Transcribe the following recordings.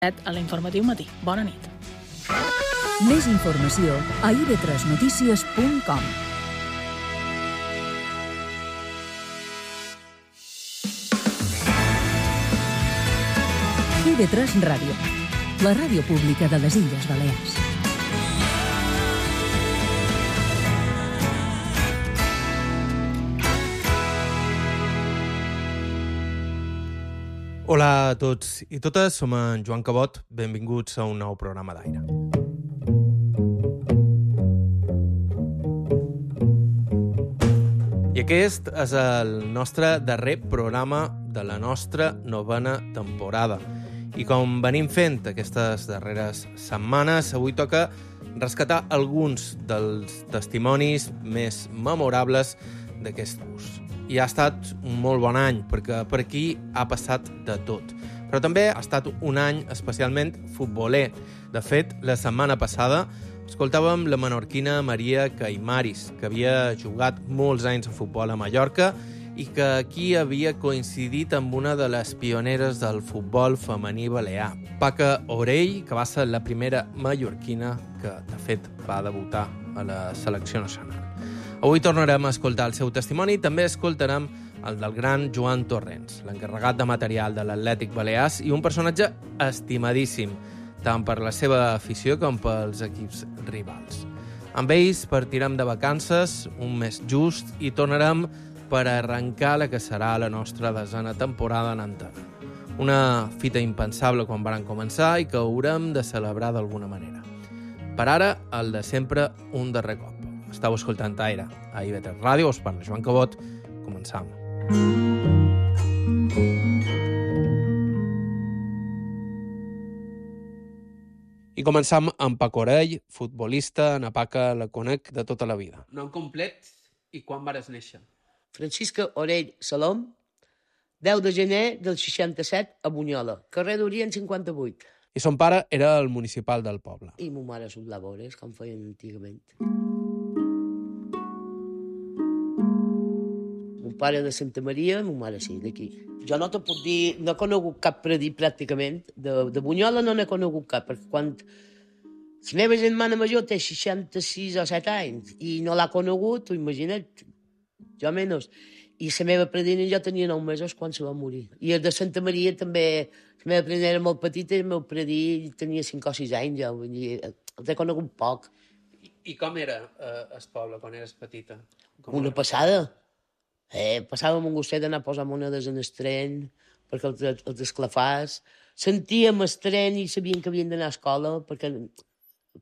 A l'informatiu matí. Bona nit. Més informació a ib3notícies.com. IB3 Ràdio, la ràdio pública de les Illes Balears. Hola a tots i totes, som en Joan Cabot, benvinguts a un nou programa d'aire. I aquest és el nostre darrer programa de la nostra novena temporada. I com venim fent aquestes darreres setmanes, avui toca rescatar alguns dels testimonis més memorables d'aquest curs. I ha estat un molt bon any, perquè per aquí ha passat de tot. Però també ha estat un any especialment futboler. De fet, la setmana passada escoltàvem la menorquina Maria Caimaris, que havia jugat molts anys a futbol a Mallorca i que aquí havia coincidit amb una de les pioneres del futbol femení balear, Paca Orell, que va ser la primera mallorquina que, de fet, va debutar a la selecció nacional. Avui tornarem a escoltar el seu testimoni i també escoltarem el del gran Joan Torrents, l'encarregat de material de l'Atlètic Balears i un personatge estimadíssim, tant per la seva afició com pels equips rivals. Amb ells partirem de vacances, un mes just, i tornarem per arrencar la que serà la nostra desena temporada en antena. Una fita impensable quan varen començar i que haurem de celebrar d'alguna manera. Per ara, el de sempre, un darrer cop. Estau escoltant Aire a IB3 Ràdio, us parla Joan Cabot. Començam. I començam amb Paca Orell, futbolista, en Paca la conec de tota la vida. Nom complet i quan vares néixer? Francisca Orell Salom, 10 de gener del 67 a Bunyola, carrer d'Orient 58. I son pare era el municipal del poble. I ma mare soplava hores, com feien antigament. Mon pare de Santa Maria, ma mare sí, d'aquí. Jo no te puc dir, no he conegut cap predí pràcticament. De Bunyola no n'he conegut cap, perquè quan la meva germana major té 66 o 7 anys i no l'ha conegut, t'ho imagina't, jo menys. I la meva predina jo tenia 9 mesos quan se va morir. I el de Santa Maria també, la meva predina era molt petita i el meu predí tenia 5 o 6 anys, ja, vull dir, els he conegut poc. I com era el poble quan eres petita? Una passada. Passàvem un gustet d'anar a posar monedes en el tren, perquè els esclafars. Sentíem el tren i sabien que havien d'anar a escola, perquè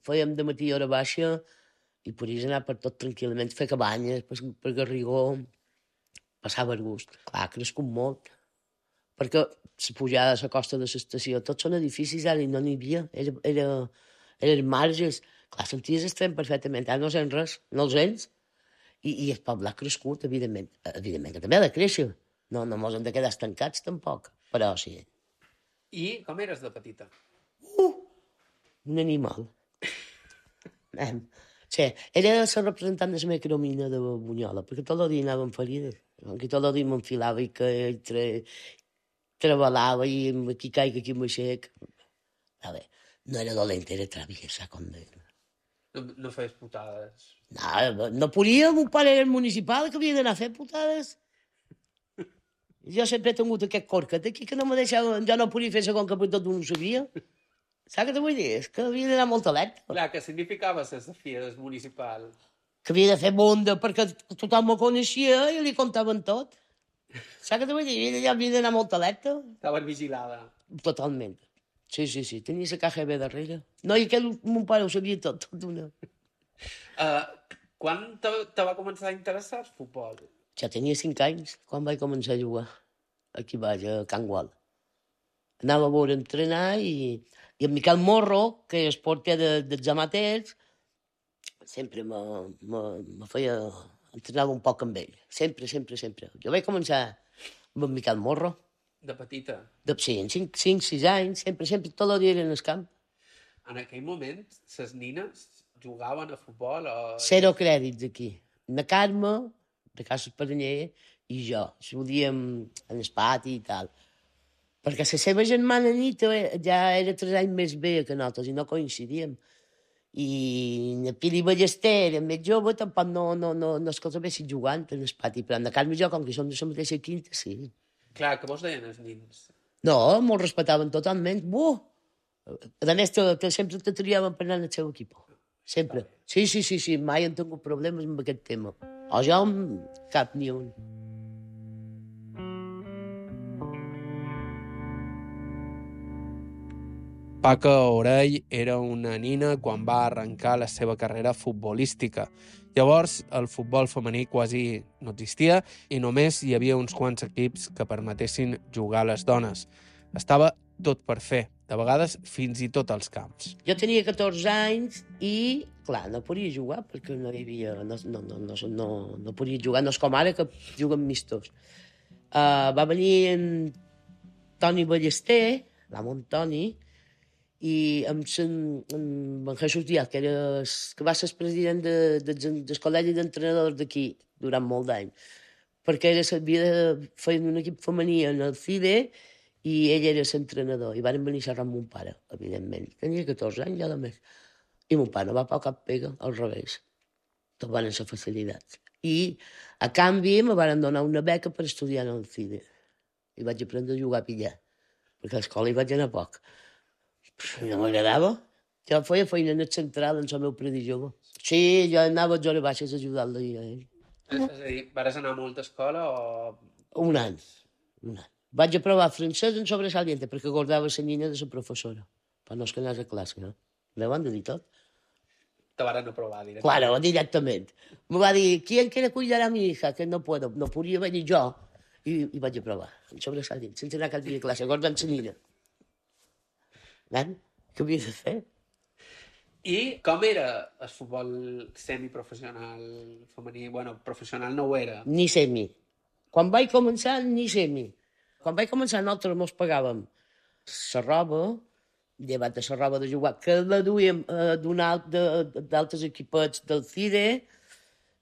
fèiem de matí hora baixa i podies anar per tot tranquil·lament, fer cabanyes, per Garrigó. Passava el gust. Clar, ha crescut molt. Perquè la pujada a la costa de l'estació, tots són edificis, ara i no n'hi havia. Eren marges. Clar, senties el tren perfectament. Ara no sents res, no els sents. I el poble ha crescut, evidentment. Evidentment que també ha de créixer. No mos hem de quedar estancats, tampoc. Però sí. I com eres de petita? Un animal. Sí, era la representant de la meva cromina de Bunyola, perquè tot el dia anàvem ferides. Aquí tot el dia m'enfilava i que treballava i aquí caic, aquí m'aixec. A veure, no era dolenta, era traviesa, com deia. No feies putades? No podia, mon pare era el municipal, que havia d'anar a fer putades. Jo sempre he tingut aquest corcat aquí, que no me deixava, jo no podia fer segon que per tot no ho sabia. Saps què te vull dir? És que havia d'anar molt alerta. Clar, què significava ser desafia del municipal? Que havia de fer bonda perquè tothom me coneixia i li contaven tot. Saps què te vull dir? Havia d'anar molt alerta. Estaven vigilada. Totalment. Sí, tenia la KGB darrere. No, i que mon pare ho sabia tot d'una. Quan te va començar a interessar el futbol? Ja tenia 5 anys quan vaig començar a jugar. Aquí vaig, a Can Gual. Anava a veure entrenar i en Miquel Morro, que és porter dels amateurs, sempre me feia... entrenava un poc amb ell. Sempre. Jo vaig començar amb en Miquel Morro. De petita? Sí, en 5-6 anys, sempre, tot el dia eren al camp. En aquell moment, les nines jugaven a futbol o... 0 crèdits aquí. Na Carme, de Casa Esparanyer, i jo. Solíem en el pati i tal. Perquè la seva germana Anita ja era 3 anys més vella que nosaltres i no coincidíem. I la Pili Ballester era més jove, tampoc no és que els havessin jugant en el pati, però en Carme i jo, com que som de la mateixa quinta, sí. Clar, que vos deien els nins? No, me'l respectaven totalment. A més, sempre te triaven per anar al seu equip. Sempre. Sí, mai han tingut problemes amb aquest tema. O jo, cap ni un. Paca Orell era una nina quan va arrencar la seva carrera futbolística. Llavors, el futbol femení quasi no existia i només hi havia uns quants equips que permetessin jugar a les dones. Estava tot per fer, de vegades fins i tot als camps. Jo tenia 14 anys i, clar, no podia jugar perquè no hi havia... No podia jugar, no és com ara que juguen mistos. Va venir en Toni Ballester, l'amo Toni, i amb en Jesús Díaz, que va ser el president del col·legi d'entrenadors d'aquí durant molt d'anys, perquè havia de fer un equip femení en el CIDE i ell era l'entrenador, i van venir a xerrar amb mon pare, evidentment. Tenia 14 anys, ja de més. I mon pare no va per cap pega, al revés. Tot van ser facilitats. I, a canvi, me van donar una beca per estudiar en el CIDE. I vaig aprendre a jugar a pillar, perquè a l'escola hi vaig anar poc. No m'agradava. Jo feia feina en el central, en el meu predí jove. Sí, jo anava a hores baixes a ajudar-lo a ell. És a dir, vas anar a molta escola o...? Un any. Vaig aprovar francès en sobresaliente perquè guardava la nina de la professora. Per no es que anés a classe, no? Me van dir tot. Te van aprovar directament. Claro, directament. Me va dir, ¿quién quiere cuidar a mi hija? Que no puedo. No podia venir jo. I vaig aprovar, en sobresaliente, sense anar a cap dia a classe, guardant la nina. Nen, què havia de fer? I com era el futbol semiprofessional femení? Bueno, professional no ho era. Ni semi. Quan vaig començar, ni semi. Quan vaig començar, nosaltres mos pagàvem la roba, llevat de la roba de jugar, que la duíem d'altres equipets del CIDE,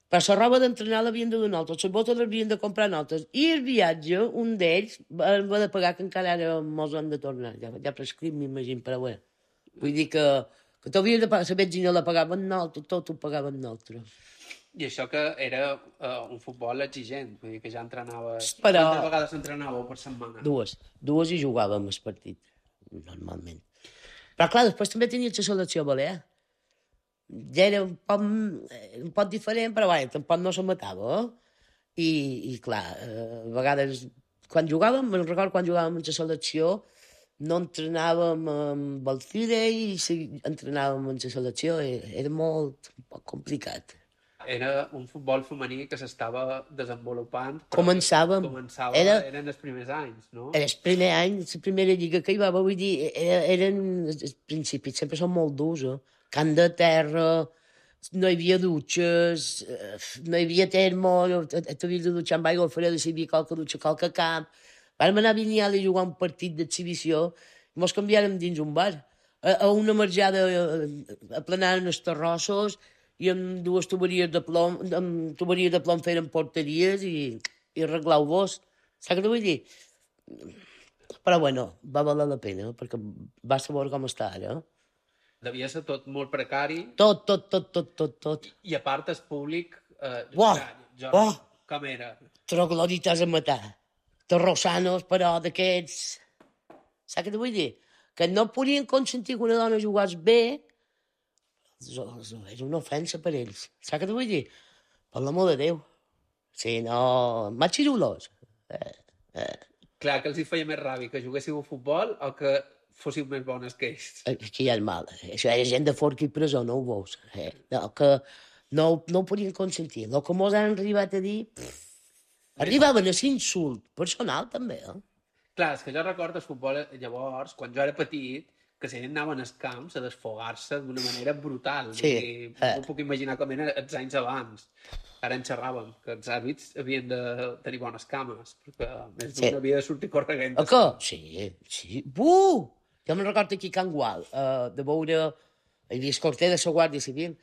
però la roba d'entrenar l'havien de donar nosaltres, les botes l'havien de comprar nosaltres. I el viatge, un d'ells, va de pagar, que encara ara mos han de tornar. Ja prescrit, m'imagino, però bé. Vull dir que t'havien de pagar, la benzina la pagaven nosaltres, tot ho pagaven nosaltres. I això que era un futbol exigent, vull dir que ja entrenaves... Però... Quantes vegades entrenàveu per setmana? Dues i jugàvem el partit, normalment. Però clar, després també tenia la selecció balear. Ja era un poc diferent, però bé, tampoc no se matava. I clar, a vegades, quan jugàvem, me'n recordo quan jugàvem en la selecció, no entrenàvem amb el CIDE i entrenàvem en la selecció. Era un poc complicat. Era un futbol femení que s'estava desenvolupant. Començàvem. Eren els primers anys, no? Era el primer any, la primera lliga que hi va, vull dir, eren els principis, sempre són molt durs, Camp de terra, no hi havia dutxes, no hi havia termo, t'havies de dutxar amb aigua freda, si hi havia qualque dutxa, qualque camp. Vam anar a Vinyal a jugar un partit d'exhibició i mos canviàrem dins un bar. A una marjada aplanaren els terrossos i amb dues tuberies de plom feren porteries i arreglau-vos. Saps què vull dir? Però bueno, va valer la pena, perquè va saber com està ara. Devia ser tot molt precari. Tot. I a part el públic... Com era? Troglodites a matar. Terrossanos, però d'aquests... Saps què t'ho vull dir? Que no podien consentir que una dona jugués bé. Era una ofensa per ells. Saps què t'ho vull dir? Per l'amor de Déu. Sí, no... Machirulos. Clar, que els hi feia més ràbia que juguéssiu a futbol o que fóssiu més bones que ells. Aquí hi ha el mal. Això era gent de forca i presó, no ho veus. No, que no ho podien consentir. El que mos han arribat a dir... Arribaven a l'insult personal, també, Clar, és que jo recordo el futbol llavors, quan jo era petit, que si anaven als camps a desfogar-se d'una manera brutal. Sí. No puc imaginar com eren els anys abans. Ara en xerràvem, que els àrbits havien de tenir bones cames, perquè més d'un havia de sortir corregent. Que? Sí. Jo me'n recordo aquí a Can Gual, de veure... Hi havia el corter de la Guàrdia Civil,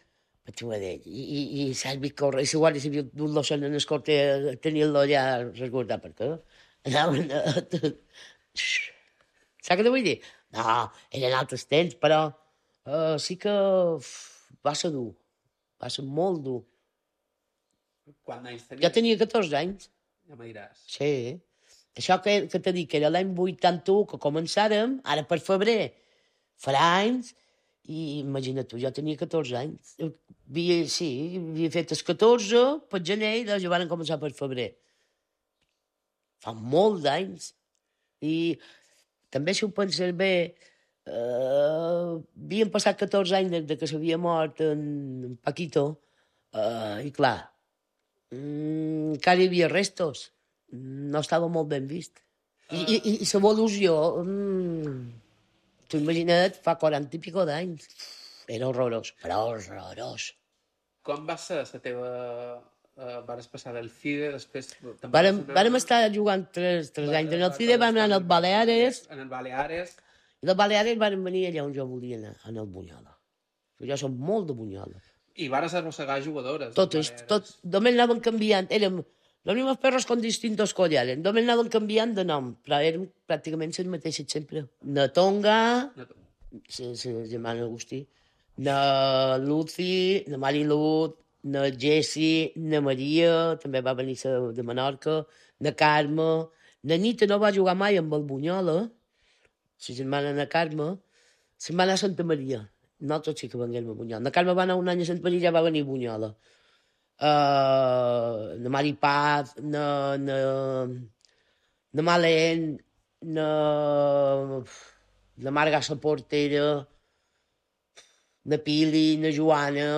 i l'àrbit corre, i la Guàrdia Civil d'un l'ocell en el corter, tenien-lo allà resguardat, perquè anaven a... Saps què vull dir? No, eren altres temps, però sí que va ser dur. Va ser molt dur. Quants anys tenies? Jo tenia 14 anys. Ja me diràs. Sí. Això que t'he dit, que era l'any 81 que començàrem, ara per febrer farà anys, i imagina't tu, jo tenia 14 anys. Havia fet els 14 per gener i ja van començar per febrer. Fa molts anys. I també, si ho penses bé, havien passat 14 anys des que s'havia mort en Paquito, i clar, encara hi havia restos. No estava molt ben vist. I l'evolució, t'ho imagina't, fa 40 i pico d'anys. Era horrorós, però horrorós. Com va ser la teva... Vares passar del CIDE, després... Vàrem estar jugant 3 anys en el CIDE, vam anar als Baleares. En el Baleares. I dels Baleares vàrem venir allà on jo volia anar, en el Bunyola. Jo som molt de Bunyola. I vares arrossegar jugadores. Només anaven canviant. Érem los mismos perros con distintos collares. Només anaven canviant de nom, però érem pràcticament les mateixes sempre. Na Tonga, la germana Agustí, na Lucy, na Marilut, na Jessie, na Maria, també va venir de Menorca, na Carme, na Nita no va jugar mai amb el Bunyola, la germana na Carme, se'n va anar a Santa Maria. Nosaltres sí que venguem a Bunyola. Na Carme va anar un any a Santa Maria, ja va venir a Bunyola. Na Mari Paz, na Malen, na Marga la Portera, na Pili, na Joana...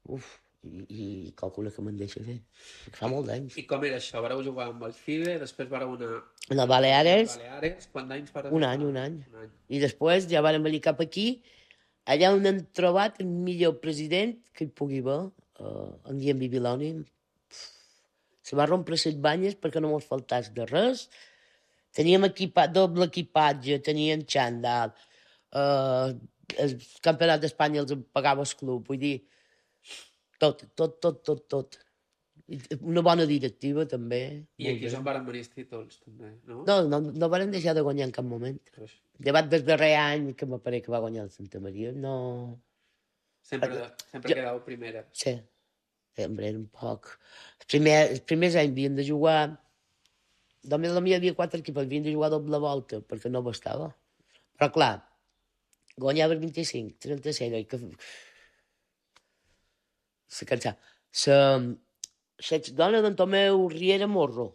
I calcula que me'n deixa fer. Fa molt d'anys. I com era això? Vareu jugar amb el CIDE, després vareu anar... En el Baleares. Quants anys vareu un any. I després ja vàrem venir cap aquí, allà on han trobat el millor president que hi pugui haver, en Guillem Bibiloni. Se va rompre les banyes perquè no mos faltàs de res. Teníem doble equipatge, teníem xandall, el campionat d'Espanya els pagava el club, vull dir, tot. Una bona directiva, també. I aquí és on varen venir els títols, també, no? No varen deixar de guanyar en cap moment. Llevat del darrer any que m'apareix que va guanyar el Santa Maria, no... Sempre quedava primera. Sí, sempre era un poc... Els primers anys havien de jugar... Només a mi hi havia 4 equips, havien de jugar doble volta, perquè no bastava. Però, clar, guanyava el 25, 36, i que... Se cansava. L'exdona d'en Tomeu Riera Morro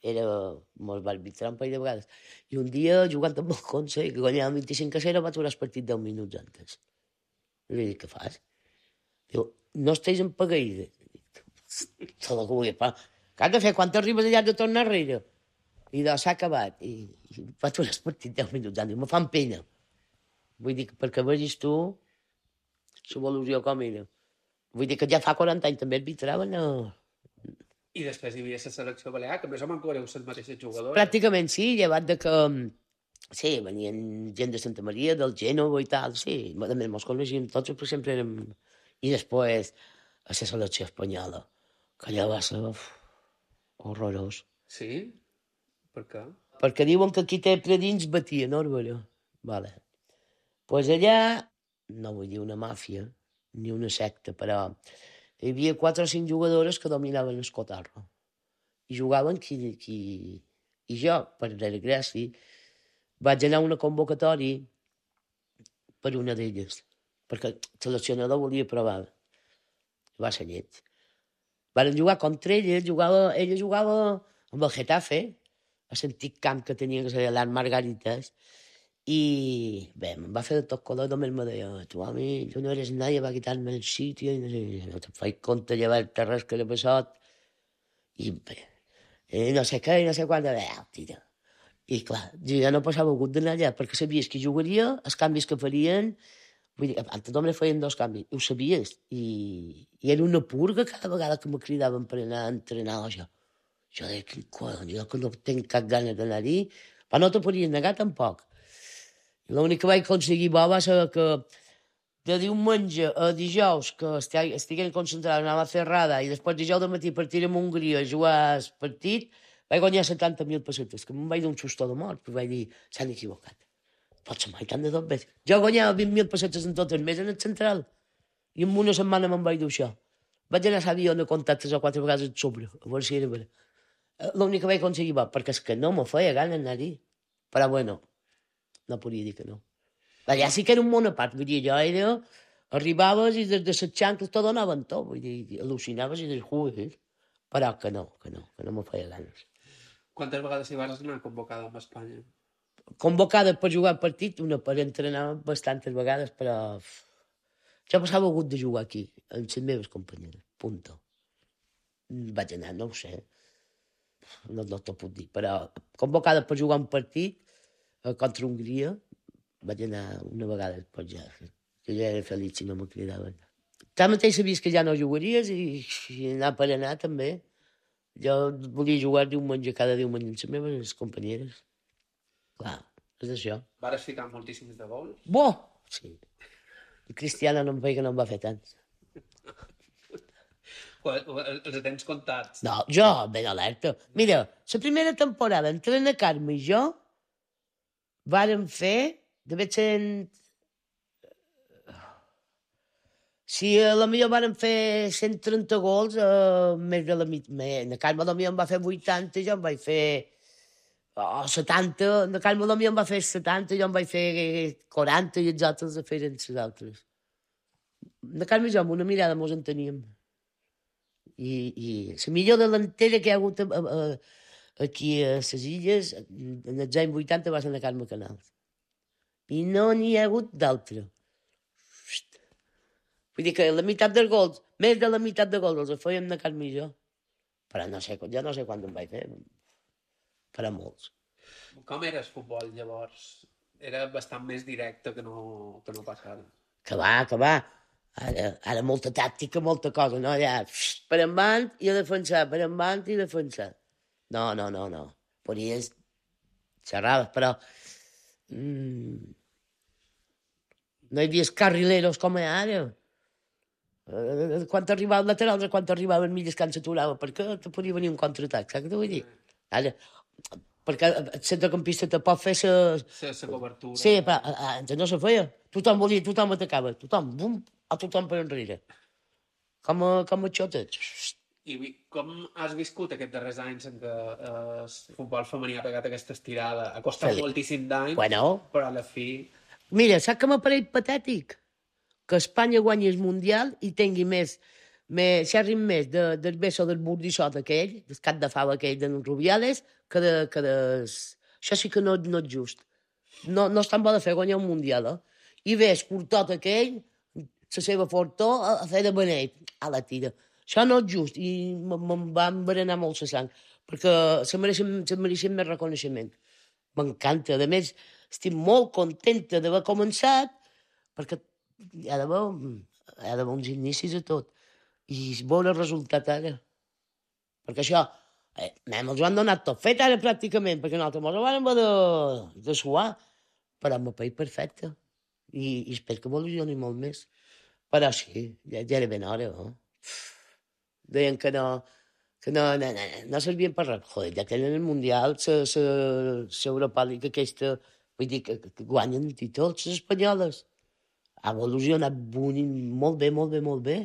mos va arbitrar un parell de vegades. I un dia, jugant amb el Conce, que guanyava 25-0, va aturar el partit 10 minuts antes. I li dic, què fas? Diu, no estàs en pagueïda. Tot el que vull fer. Què has de fer? Quan t'arribes allà de tornar enrere? I s'ha acabat. I va aturar el partit 10 minuts antes. Me fan pena. Vull dir, perquè vegis tu l'evolució com era. Vull dir que ja fa 40 anys també arbitraven. I després hi havia la selecció balear, que més o menys éreu les mateixes jugadores. Pràcticament sí, llevat de que... Sí, venien gent de Santa Maria, del Gènova i tal, sí. A més, mos coneixíem tots, però sempre érem... I després, a la selecció espanyola, que allà va ser horrorós. Sí? Per què? Perquè diuen que qui té predins batia, no, Arbara? Vale. Pues allà, no vull dir una màfia, ni una secta, però hi havia 4 o 5 jugadores que dominaven el cotarro. I jugaven I jo, per desgràcia, vaig anar a una convocatòria per una d'elles, perquè el seleccionador volia provar. Va ser lleig. Van jugar contra ella jugava amb el Getafe, a l'antic camp que tenia, que seria l'Art Margaritas, i bé, em va fer de tot color, només me deia, tu no eres nadie, va quitar-me el sitio, i no te faig compte llevar-te res que l'he passat, i bé, no sé què, no sé quan, tira. I clar, jo ja no passava gust d'anar allà, perquè sabies que jugaria, els canvis que farien, vull dir, antes només feien 2 canvis, ho sabies, i era una purga cada vegada que me cridaven per anar a entrenar, jo deia, quin collons, jo que no tinc cap ganes d'anar-hi, però no te podies negar tampoc. L'únic que vaig aconseguir bo va ser que de diumenge a dijous que estiguem concentrats, anava a Ferrada, i després dijous de matí partir a Hongria a jugar el partit, Vaig guanyar 70.000 pessetes, que me'n vaig d'un xustó de mort, però vaig dir, s'han equivocat. Potser mai tant de tot bé. Jo guanyava 20.000 pessetes en tot el mes en el central, i en una setmana me'n vaig dur això. Vaig anar a l'avió a comptar 3 o 4 vegades el sobre, a veure si era vera. L'únic que vaig aconseguir va, perquè és que no me feia gana anar-hi. Però bueno, no podia dir que no. Allà sí que era un món a part, vull dir, jo era... Arribaves i des de les xancles t'ho donaven tot, vull dir, al·lucinaves i dius, però que no me feia ganes. Quantes vegades hi vas anar convocada amb Espanya? Convocada per jugar al partit, una per entrenar bastantes vegades, però jo passava gust de jugar aquí, amb les meves companyeres, punto. Vaig anar, no ho sé, no t'ho puc dir, però convocada per jugar un partit contra Hongria, vaig anar una vegada, pues ja, que ja era feliç si no me cridaven. Tanmateix sabies que ja no jugaries i anar per anar també. Jo volia jugar diumenge, cada diumenge amb les meves companyeres. Clar, és això. Vares ficar moltíssims de gols? Bo! Sí. El Cristiano no em feia que no en va fer tants. Els tens comptats? No, jo, ben alerta. Mira, la primera temporada entre na Carme i jo vàrem fer, devia ser... Si a la millor vàrem fer 130 gols, més de la meitat. Na Carme potser em va fer 80, jo em vaig fer 70. Na Carme potser em va fer 70, jo em vaig fer 40 i els altres feren les altres. Na Carme i jo amb una mirada mos enteníem. I la millor delantera que hi ha hagut aquí a les Illes, en els anys 80 va ser na Carme Canals. I no n'hi ha hagut d'altra. Vull dir que la meitat dels gols, més de la meitat de gols els feien na Carme i jo. Però jo no sé quant en vaig fer. Però molts. Com era el futbol llavors? Era bastant més directe que no pas ara. Que va. Ara molta tàctica, molta cosa, no? Ja, per endavant i a defensar, per endavant i defensar. No. Podies xerrades, però... no hi havia carrileros com ara. Quan arribava el lateral, quan arribava el mig descans s'aturava, perquè te podia venir un contraatac, saps què t'ho vull dir? Ara, perquè el centrecampista te pot fer la cobertura. Sí, però antes no se feia. Tothom atacava, tothom per enrere. Com a xotes. I com has viscut aquests darrers anys en què el futbol femení ha pegat aquesta estirada? Ha costat moltíssim d'anys, però a la fi... Mira, saps que m'apareix patètic? Que Espanya guanyi el Mundial i tingui xerrin més del beso del burdissot aquell, del cap de fava aquell de Rubiales, que Això sí que no és just. No és tan bo de fer guanyar un Mundial, I ve el curtot aquell, la seva fortó, a fer de beneit, a la tira. Això no és just i me'n va envenenar molt la sang, perquè se mereixen més reconeixement. M'encanta. A més, estic molt contenta d'haver començat, perquè hi ha d'haver uns inicis a tot. I veure el resultat ara. Perquè això, ens ho han donat tot fet ara pràcticament, perquè nosaltres ens ho vam haver de suar, però amb el país perfecte. I espero que evolucioni molt més. Però sí, ja era ben hora, Deien que no servien per res. Joder, ja tenen el Mundial, l'Europa League aquesta, vull dir que guanyen títols, les espanyoles. Ha evolucionat molt bé.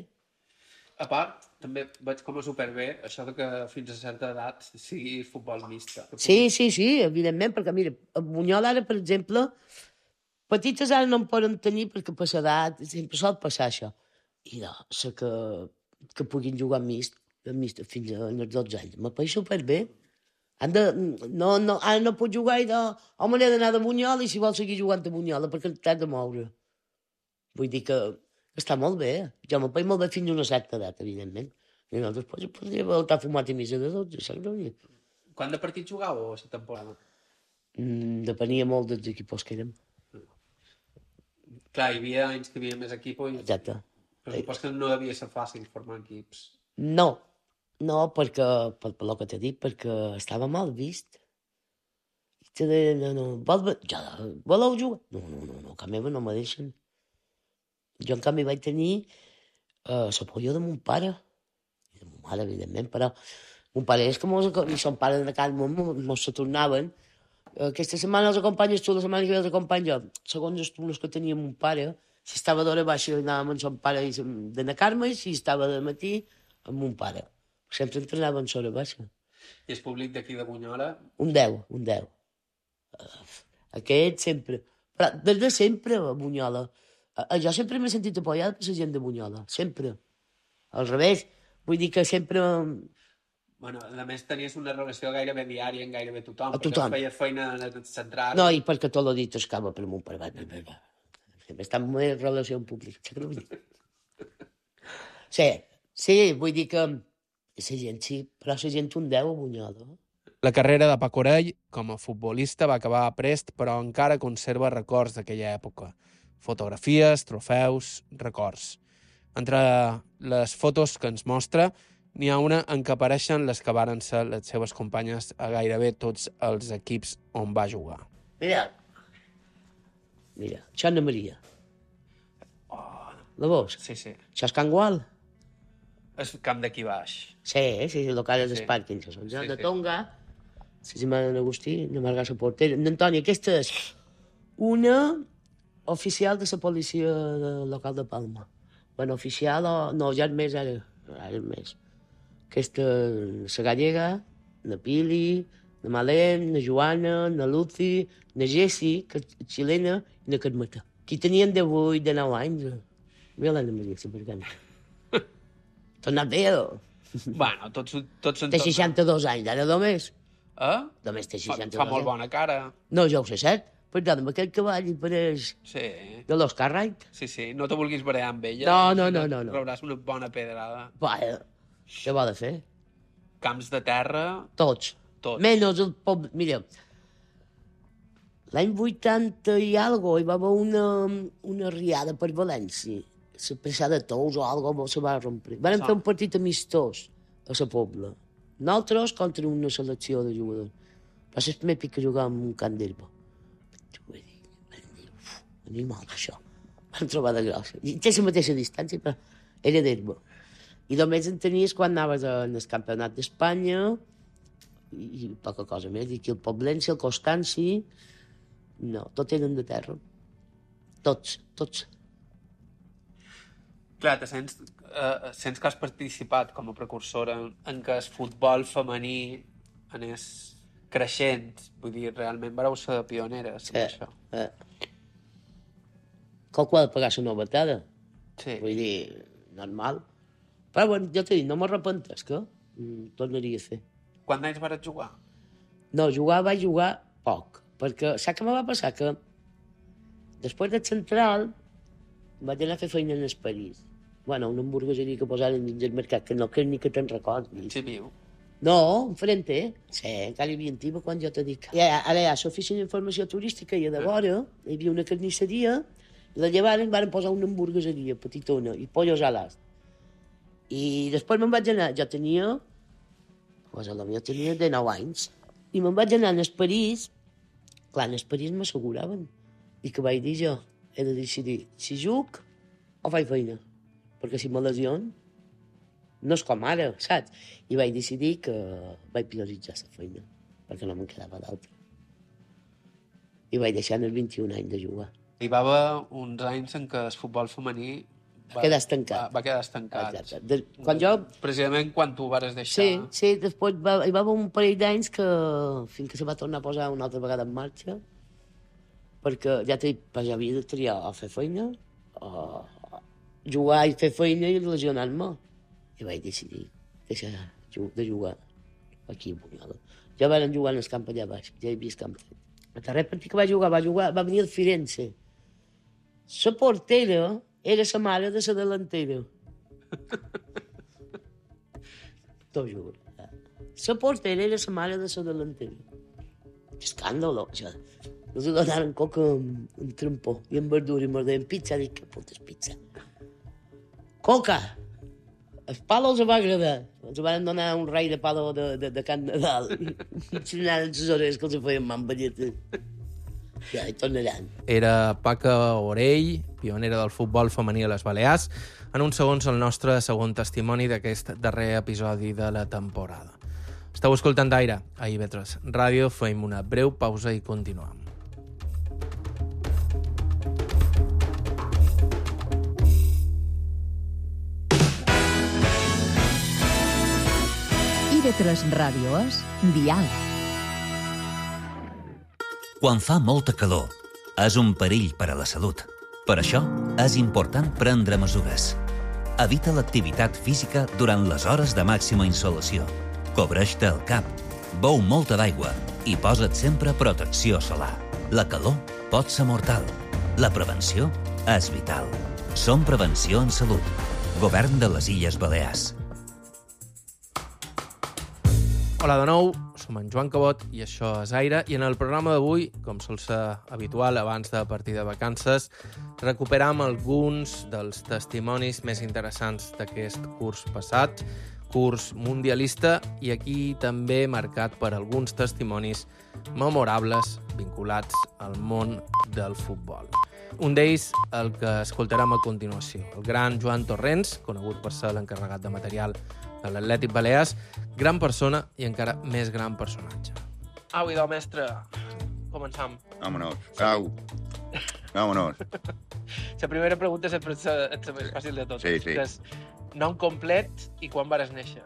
A part, també veig com a superbé això de que fins a certa edat sigui futbol mixta. Sí, evidentment, perquè mira, a Bunyol ara, per exemple, petites ara no en poden tenir perquè per l'edat sempre sol passar això. I no, sé que puguin jugar mixt fins als 12 anys. M'apareix superbé. Ara no pot jugar i home, n'he d'anar de Bunyol i si vol seguir jugant a Bunyol perquè t'has de moure. Vull dir que està molt bé. Jo m'apareix molt bé fins a una certa edat, evidentment. I nosaltres podria estar fumat i missa de 12, saps què vull dir? Quant de partits jugàveu a la temporada? Depenia molt dels equips que érem. Clar, hi havia anys que hi havia més equipos i... Exacte. Però supos que no devia ser fàcil formar equips. No, perquè, per el que t'he dit, perquè estava mal vist. I te deien, voleu jugar? No, que a meva no me deixen. Jo, en canvi, vaig tenir l'apoyo de mon pare, i de mon mare, evidentment, però Un pare és que i son pare de cada món mos se tornaven. Aquesta setmana els acompanyes tu, la setmana que ve els acompanyo jo. Segons els turnos que teníem un pare, si estava d'hora baixa anàvem amb son pare d'anar a Carme, i si estava de matí amb un pare. Sempre entrenàvem a l'hora baixa. I el públic d'aquí de Bunyola? Un 10. Aquest sempre. Però des de sempre, a Bunyola. Jo sempre m'he sentit apoyada per la gent de Bunyola, sempre. Al revés, vull dir que sempre... Bueno, a més tenies una relació gairebé diària amb gairebé tothom. A tothom. Perquè feies feina central. No, i perquè tot lo dit escava per mon pare. Està en una relació en públic. Sí, vull dir que la gent sí, però la gent un 10 a Bunyola. La carrera de Paco Orell com a futbolista va acabar a prest, però encara conserva records d'aquella època. Fotografies, trofeus, records. Entre les fotos que ens mostra, n'hi ha una en què apareixen les que varen ser les seves companyes a gairebé tots els equips on va jugar. Mira, això és Anna Maria. La veus? Sí. Això és Can Gual. El camp d'aquí baix. Sí, el local dels Parkinson. De Tonga, la germana d'Agustí, de Margassa Portera. D'Antoni, aquesta és una oficial de la policia local de Palma. Bueno, oficial o... No, ja és més, ara és més. Aquesta, la gallega, la Pili, la Malén, la Joana, la Lucy, la Jessi, que és xilena, i la Carmeta. Qui tenien de 8, de 9 anys. Mira l'Anna Maria, supergana. T'ha anat bé, o? Bueno, tots són... Té 62 anys, ara només. Només té 62 Fa molt bona cara. No, jo ho sé, cert. Perquè amb aquell cavall hi pareix... Sí. De l'Oscar Wright. Sí. No te vulguis barallar amb ella. No. Rebràs una bona pedrada. Vaja, què va de fer? Camps de terra... Tots. Menys el poble... Mira, l'any 80 i algo hi va haver una riada per València. La passada de Tous o algo se va rompre. Van fer un partit amistós a la Pobla. Nosaltres contra una selecció de jugadors. Va ser el primer pic que jugàvem en un camp d'herba. Animal, això. Vam trobar de grossa. I té la mateixa distància, però era d'herba. I només en tenies quan anaves al campionat d'Espanya i poca cosa més. I aquí el Poblense, el Constanci... No, tots eren de terra. Tots. Clar, sents que has participat com a precursora en què el futbol femení anés creixent. Vull dir, realment vareu ser pioneres en això. Qualcú ha de pagar la novetada. Sí. Vull dir, normal. Però bueno, jo t'he dit, no m'arrepentes, que tornaria a fer. Quants anys vares jugar? No, vaig jugar poc. Perquè saps què me va passar? Que després del central vaig anar a fer feina en el París. Bueno, una hamburgueseria que posaren dins el mercat, que no crec ni que te'n recordis. Sí, viu. No, enfrente. Sí, encara hi havia antiga quan jo t'he dit. Ara hi ha l'oficina d'informació turística i a de vora hi havia una carnisseria i la llevaren van posar una hamburgueseria petitona i pollos a l'ast. I després me'n vaig anar, jo tenia de 9 anys, i me'n vaig anar al París. Clar, en el París m'asseguraven. I que vaig dir jo, he de decidir si juc o faig feina. Perquè si me lesiono, no és com ara, saps? I vaig decidir que vaig prioritzar la feina, perquè no me'n quedava d'altra. I vaig deixar en els 21 anys de jugar. Hi va haver uns anys en què el futbol femení va quedar estancat. Va quedar estancat. Quan jo... Precisament quan tu ho vares deixar... Sí, després hi va haver un parell d'anys que fins que se va tornar a posar una altra vegada en marxa, perquè ja t'he dit, jo havia de triar o fer feina, o jugar i fer feina i lesionar-me. I vaig decidir deixar de jugar aquí a Bunyola. Ja van jugar en el camp allà baix, ja hi havia el camp fet. El darrer partit que va jugar, va venir el Firenze. La portera era la mare de la delantera. T'ho juro. La portera era la mare de la delantera. Escàndalo, això. Nos donaren coca amb trampó i amb verdura i m'ordeien pizza. Dic, que puta és pizza? Coca! El palo els va agradar. Els van donar un rei de palo de Can Nadal. I anaven les hores que els feien mamballetes. Ja, hi tornaran. Era Paco Orell, pionera del futbol femení a les Balears, en uns segons el nostre segon testimoni d'aquest darrer episodi de la temporada. Esteu escoltant Aire a IB3 Ràdio, fem una breu pausa i continuem. IB3 Ràdio és diàleg. Quan fa molta calor, és un perill per a la salut. Per això, és important prendre mesures. Evita l'activitat física durant les hores de màxima insolació. Cobreix-te el cap, beu molta d'aigua i posa't sempre protecció solar. La calor pot ser mortal. La prevenció és vital. Som Prevenció en Salut. Govern de les Illes Balears. Hola de nou, som en Joan Cabot i això és Aire. I en el programa d'avui, com sol ser habitual abans de partir de vacances, recuperam alguns dels testimonis més interessants d'aquest curs passat, curs mundialista, i aquí també marcat per alguns testimonis memorables vinculats al món del futbol. Un d'ells, el que escoltarem a continuació, el gran Joan Torrents, conegut per ser l'encarregat de material de l'Atlètic Balears, gran persona i encara més gran personatge. Au, idò, mestre, començam. Vámonos. Au. Vámonos. La primera pregunta sempre és la més fàcil de tot. Sí, sí. Que és nom complet i quan vares néixer.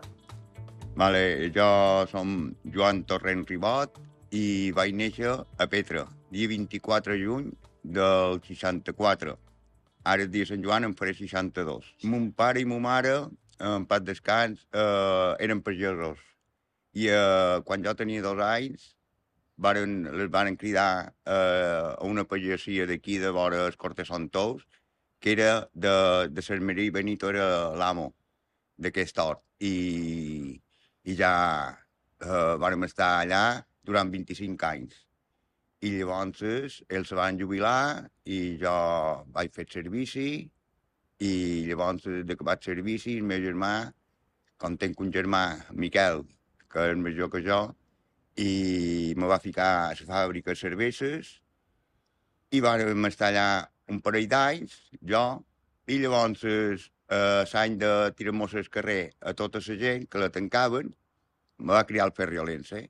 Vale, jo som Joan Torrent Ribot i vaig néixer a Petra, dia 24 de juny del 64. Ara, el dia de Sant Joan, em faré 62. Mon pare i ma mare, en paz descans, eren pagesos. I quan jo tenia 2 anys, les van cridar a una pagesia d'aquí, de vora el Corte Santous, que era de Sermerí Benito, era l'amo d'aquest hort. I ja vàrem estar allà durant 25 anys. I llavors ells se van jubilar i jo vaig fer servici. I llavors, de que vaig servici, el meu germà, com tenc un germà, Miquel, que és major que jo, i me va ficar a la fàbrica de cerveses, i vam estar allà un parell d'anys, jo, i llavors l'any de tirar-nos al carrer a tota la gent que la tancaven, me va criar el Ferriolense.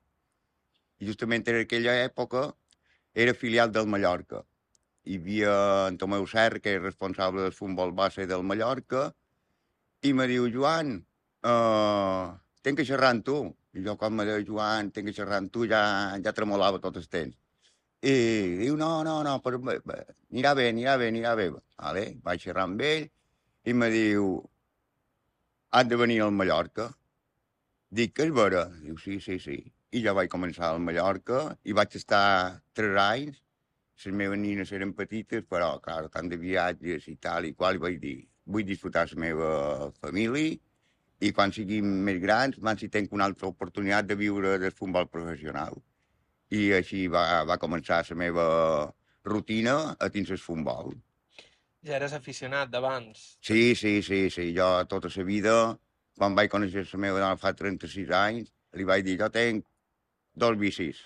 I justament en aquella època era filial del Mallorca. Hi havia en Tomeu Serra, que és responsable del futbol base del Mallorca, i me diu, Joan, tenc que xerrar amb tu. I jo, quan me diu, Joan, tenc que xerrar amb tu, ja tremolava tot el temps. I diu, no, però anirà bé. Vale? Vaig xerrar amb ell i me diu, has de venir al Mallorca. Dic, que és vera? Diu, sí. I ja vaig començar al Mallorca i vaig estar 3 anys. Les meves nines eren petites, però, clar, tant de viatges i tal i qual, i vaig dir, vull disfrutar la meva família i quan siguin més grans, si tenc una altra oportunitat de viure del futbol professional. I així va començar la meva rutina a dins el futbol. Ja eres aficionat d'abans? Sí. Jo tota la vida, quan vaig conèixer la meva dona fa 36 anys, li vaig dir, jo tenc 2 vicis.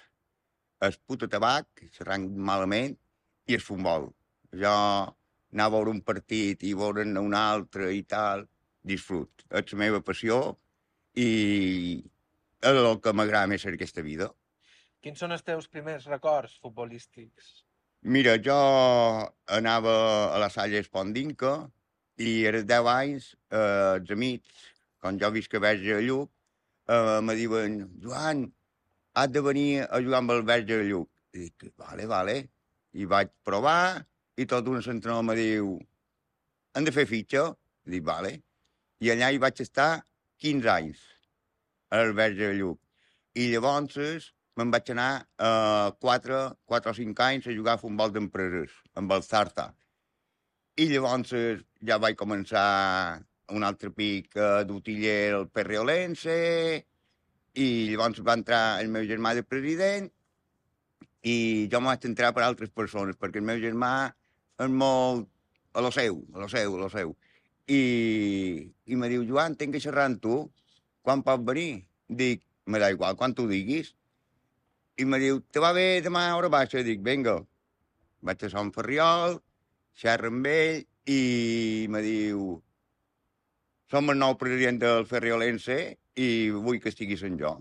El puto tabac, xerrant malament, i el futbol. Jo anar a veure un partit i veure'n un altre i tal, disfrut. És la meva passió i és el que m'agrada més en aquesta vida. Quins són els teus primers records futbolístics? Mira, jo anava a la Salle Espondinca i als 10 anys, els amics, quan jo visc a Verge de Lluc, me diuen, Joan, has de venir a jugar amb el Verge de Lluc. I dic, vale. I vaig provar i tot un entrenador me diu, hem de fer fitxa? I dic, vale. I allà hi vaig estar 15 anys, al Verge de Lluc. I llavors me'n vaig anar 4 o 5 anys a jugar a futbol d'empreses, amb el Zarta. I llavors ja vaig començar un altre pic d'utiller al Ferriolense, i llavors va entrar el meu germà de president i jo m'ho vaig entrar per altres persones, perquè el meu germà és molt a lo seu. I me diu, Joan, tenc que xerrar amb tu, quan pots venir? Dic, me da igual, quan tu diguis. I me diu, te va bé demà a hora baixa? Dic, vinga. Vaig a Sant Ferriol, xerro amb ell i me diu, som el nou president del Ferriolense i vull que estiguis en jo.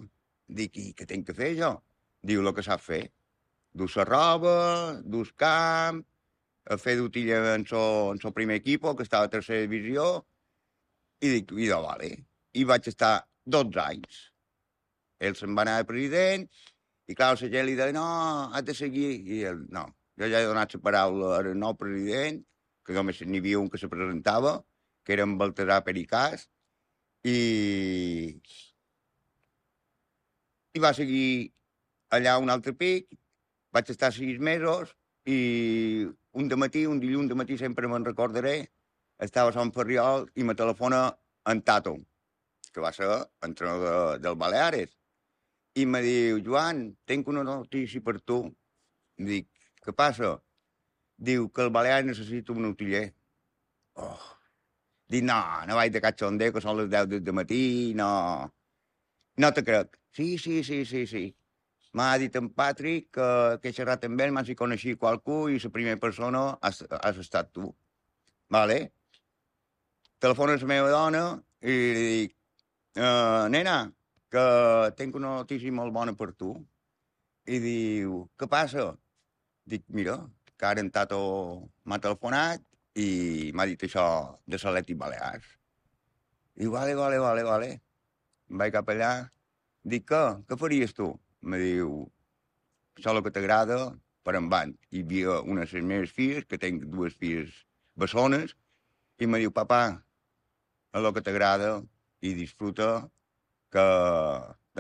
Dic, i què tinc que fer jo? Diu, el que sap fer. Dus la roba, dus camp, a fer d'utilla en el primer equip, que estava a tercera divisió, i dic, idò, vale. I vaig estar 12 anys. Ell se'n va anar de president, i clar, la gent li deia, no, has de seguir. I ell, no, jo ja he donat la paraula al nou president, que només n'hi havia un que se presentava, que era en Baltasar Pericàs, i va seguir allà un altre pic, vaig estar 6 mesos, i un dilluns de matí sempre me'n recordaré, estava a Sant Ferriol i me telefona en Tato, que va ser entrenador del Baleares, i me diu, Joan, tinc una notícia per tu. Dic, què passa? Diu que el Baleares necessita un utiller. Oh. Dic, no vaig de catxonder, que són les 10 del matí, no te crec. Sí. M'ha dit en Patrick que he xerrat amb ell, m'ha si coneixia qualcú i la primera persona has estat tu. Vale? Telefona a la meva dona i li dic, nena, que tinc una notícia molt bona per tu. I diu, què passa? Dic, mira, que ara en Tato m'ha telefonat i m'ha dit això de l'Atlètic Balears. Diu, vale. Em vaig cap allà. Dic, què faries tu? Me diu, això el que t'agrada, per en van. Hi havia una de les meves filles, que tinc 2 filles bessones, i me diu, papà, el que t'agrada i disfruta, que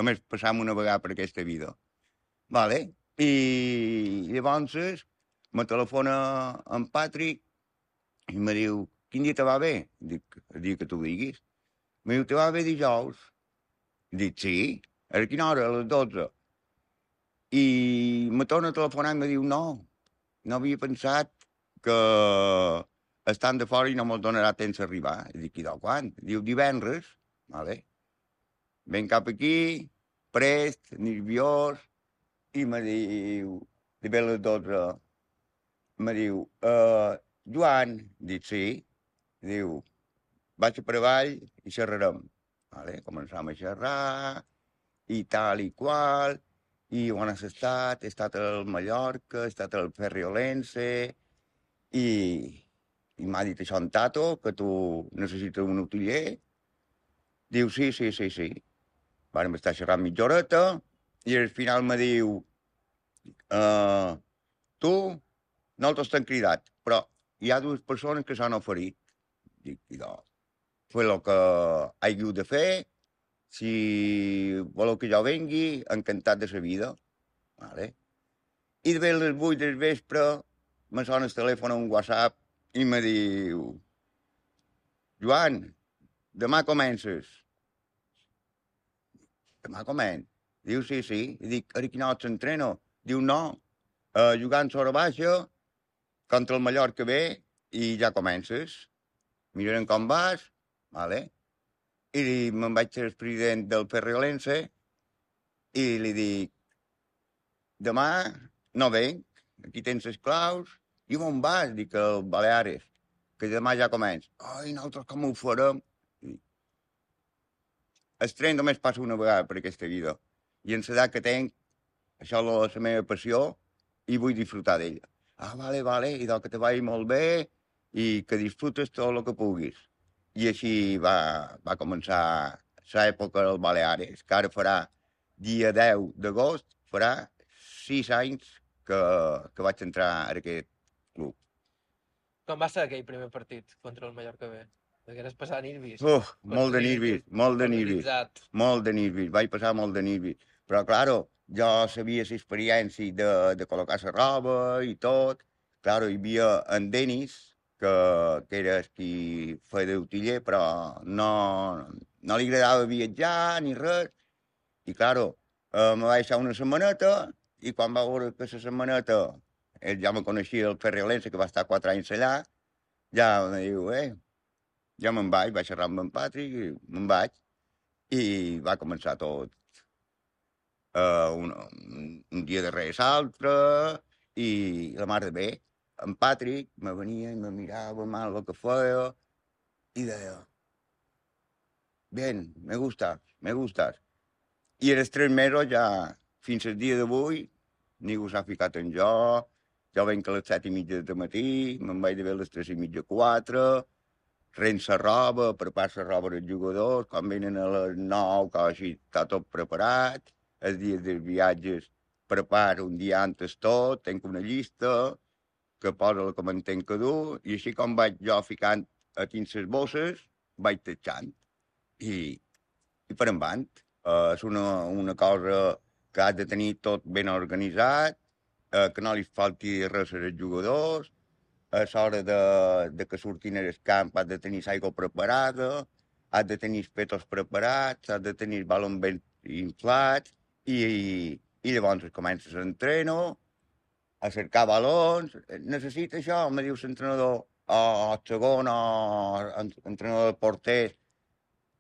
només passam una vegada per aquesta vida. Vale? I llavors me telefona en Patrick i me diu, quin dia te va bé? Dic, el dia que tu diguis. Me diu, te va bé dijous? Dic, sí. A quina hora? A les 12. I me torna a telefonar i me diu, no havia pensat que estan de fora i no me'l donarà temps d'arribar. I dic, i de quan? Diu, divendres. Vale. Ven cap aquí, prest, nerviós, i me diu, de bé a les 12, me diu, Joan, dic, sí. Diu, vaig per avall i xerrarem. Vale. Començam a xerrar, i tal i qual, i on has estat? He estat al Mallorca, he estat al Ferriolense, i m'ha dit això en Tato, que tu necessites un utiller. Diu, sí. Vam estar xerrant mitja horeta, i al final me diu, tu, nosaltres t'hem cridat, però hi ha 2 persones que s'han oferit. Dic, idò, fer el que hagi de fer. Si voleu que jo vengui, encantat de la vida. Vale? I de les 8 del vespre me sona el telèfon a un WhatsApp i me diu, Joan, demà comences. Demà començ. Diu, sí. I dic, a quina hora s'entreno? Diu, no, jugant sobre baixa, contra el Mallorca bé, i ja comences. Mirarem com vas, vale? I me'n vaig ser el president del Ferriolense i li dic, demà no venc, aquí tens les claus, i on vas? Dic, al Baleares, que demà ja comença. Ai, nosaltres com ho farem? El tren només passa una vegada per aquesta vida, i en l'edat que tenc, això és la meva passió, i vull disfrutar d'ella. Ah, vale, i que te vagi molt bé, i que disfrutes tot el que puguis. I així va començar l'època del Baleares, que ara farà, dia 10 d'agost, farà 6 anys que vaig entrar a aquest club. Com va ser aquell primer partit contra el Mallorca B? Degueres passar nervis. Molt de nervis. Vaig passar molt de nervis. Però, claro, jo sabia l'experiència de col·locar la roba i tot. Claro, hi havia en Denis, que era qui feia d'utiller, però no li agradava viatjar ni res. I, claro, me va deixar una setmaneta, i quan va veure que la setmaneta ell ja me coneixia el Ferriolense, que va estar 4 anys allà, ja me diu, ja me'n vaig xerrar amb en Patrick, i me'n vaig, i va començar tot. Un dia darrere l'altre, i la mar de bé. En Patrick me venia i me mirava mal el que feia i deia, bien, me gustas. I en els 3 mesos ja, fins al dia d'avui, ningú s'ha ficat en jo venc a les 7:30 del matí, me'n vaig de bé a les 3:30, 4, rent la roba, prepar la roba dels jugadors, quan venen a les 9, que així està tot preparat, els dies dels viatges preparo un dia antes tot, tenc una llista que posa la que m'entenc que dur, i així com vaig jo ficant a dins les bosses, vaig tatxant. I per endavant. És una cosa que has de tenir tot ben organitzat, que no li falti res als jugadors, a l'hora de que surtin al camp has de tenir l'aigua preparada, has de tenir els petos preparats, has de tenir els balons ben inflats, i llavors comences l'entreno, a cercar balons, necessita això, me diu l'entrenador, o el segon, o l'entrenador de porters,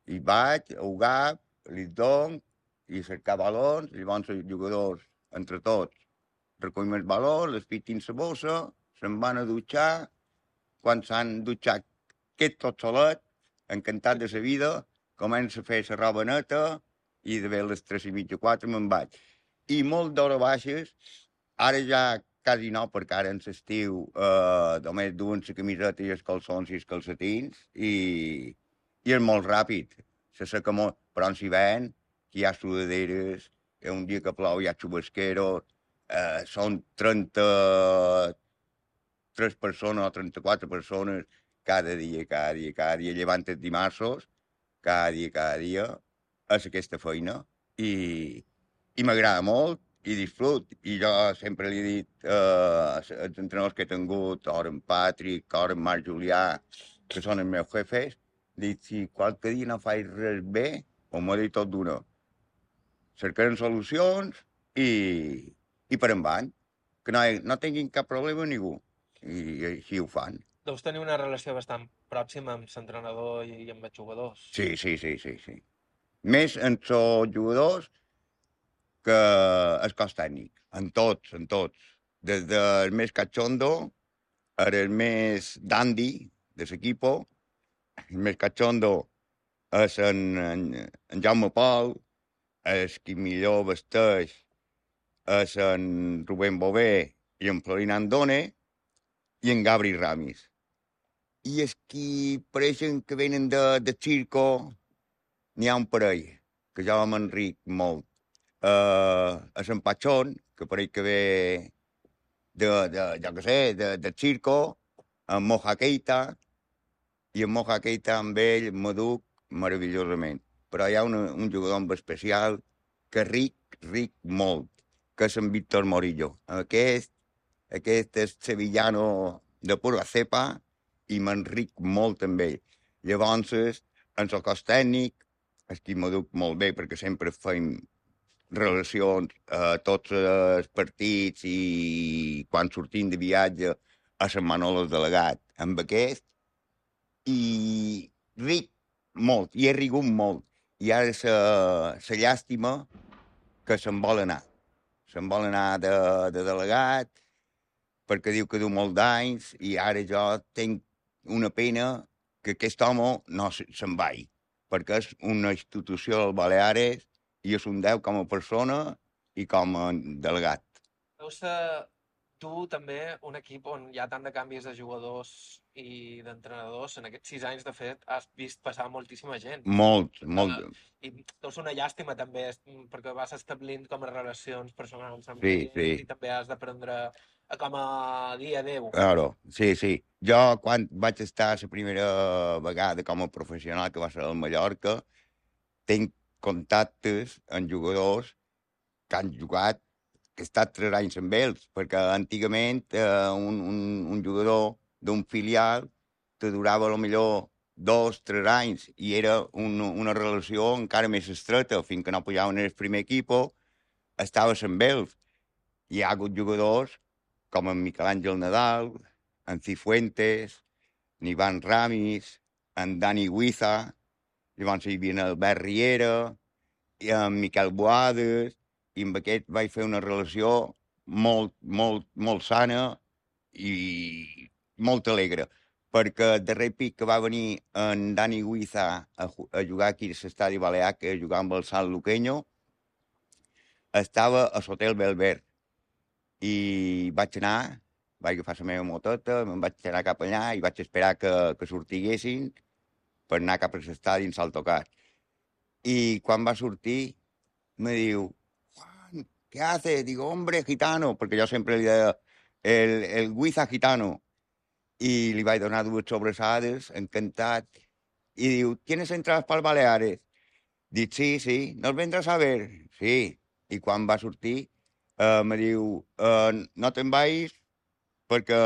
i vaig a jugar, li dono, i cercar balons, llavors els jugadors, entre tots, recollim els balons, les fitin la bossa, se'n van a dutxar, quan s'han dutxat, quedat tot solet, encantat de la vida, comença a fer la roba neta, i de bé a les 3:30, 4 me'n vaig. I molt d'hores baixes, ara ja quasi no, perquè ara en l'estiu només duen la camiseta i els calçons i els calcetins, i és molt ràpid, se seca molt, però en s'hivern, que hi ha sudaderes, un dia que plou hi ha xubasqueros, són 33 persones o 34 persones cada dia, llevant els dimarts, cada dia, és aquesta feina, i m'agrada molt, i disfrut, i jo sempre li he dit als entrenadors que he tingut, o en Patrick, o en Marc Julià, que són els meus jefes, dic, si qualque dia no faig res bé, o m'ho dit tot d'una. Cercarem solucions i per endavant, que no tinguin cap problema amb ningú. I així ho fan. Deus tenir una relació bastant pròxima amb l'entrenador i amb els jugadors. Sí. Més amb els jugadors que el cos tècnic. En tots. Des del més cachondo al més dandy de l'equipo. El més cachondo és en Jaume Pol, el qui millor vesteix és en Rubén Bové i en Florín Andone i en Gabri Ramis. I els qui pareixen que venen de circo, n'hi ha un parell, que jo m'enric molt. És en Pachón, que pareix que ve de circo, en Moja Keita, i en Moja Keita amb ell m'educ meravellosament. Però hi ha un jugador especial que ric molt, que és en Víctor Morillo. Aquest és sevillano de pura cepa i m'enric molt amb ell. Llavors, en el cos tècnic, és qui m'educ molt bé, perquè sempre fem relacions a tots els partits i quan sortim de viatge a Sant Manolo el delegat amb aquest, i ric molt, i he rigut molt. I ara la llàstima que se'n vol anar. Se'n vol anar de delegat perquè diu que du molt d'anys i ara jo tinc una pena que aquest home no se'n vagi, perquè és una institució del Baleares i és un 10 com a persona i com a delegat. Deu ser tu també un equip on hi ha tant de canvis de jugadors i d'entrenadors. En aquests 6 anys, de fet, has vist passar moltíssima gent. Molt. I deu ser una llàstima també, perquè vas establint com a relacions personals amb Sí. i també has d'aprendre com a dir adéu. Claro, sí. Jo, quan vaig estar la primera vegada com a professional, que va ser al Mallorca, tinc contactes amb jugadors que han jugat, que he estat 3 anys amb ells, perquè antigament un jugador d'un filial te durava millor 2, 3 anys i era una relació encara més estreta, fins que no pujaven en el primer equip, estaves amb ells. Hi ha hagut jugadors com en Miquel Àngel Nadal, en Cifuentes, en Ivan Ramis, en Dani Huiza, llavors hi havia en Albert Riera, i en Miquel Boades, i amb aquest vaig fer una relació molt sana i molt alegre, perquè el darrer pic que va venir en Dani Huiza a jugar aquí a l'estadi Balear, que jugava amb el Sant Luqueño, estava a l'Hotel Belver i vaig agafar la meva moteta, me'n vaig anar cap allà i vaig esperar que sortiguessin per anar cap a l'estadi en Saltocat. I quan va sortir, me diu, Juan, ¿qué haces? Digo, hombre, gitano, perquè jo sempre li deia el Guiza gitano. I li vaig donar 2 sobrassades, encantat. I diu, ¿tienes entradas para Baleares? Dic, sí, ¿nos vendràs a ver? Sí. I quan va sortir, me diu, no te'n vagis perquè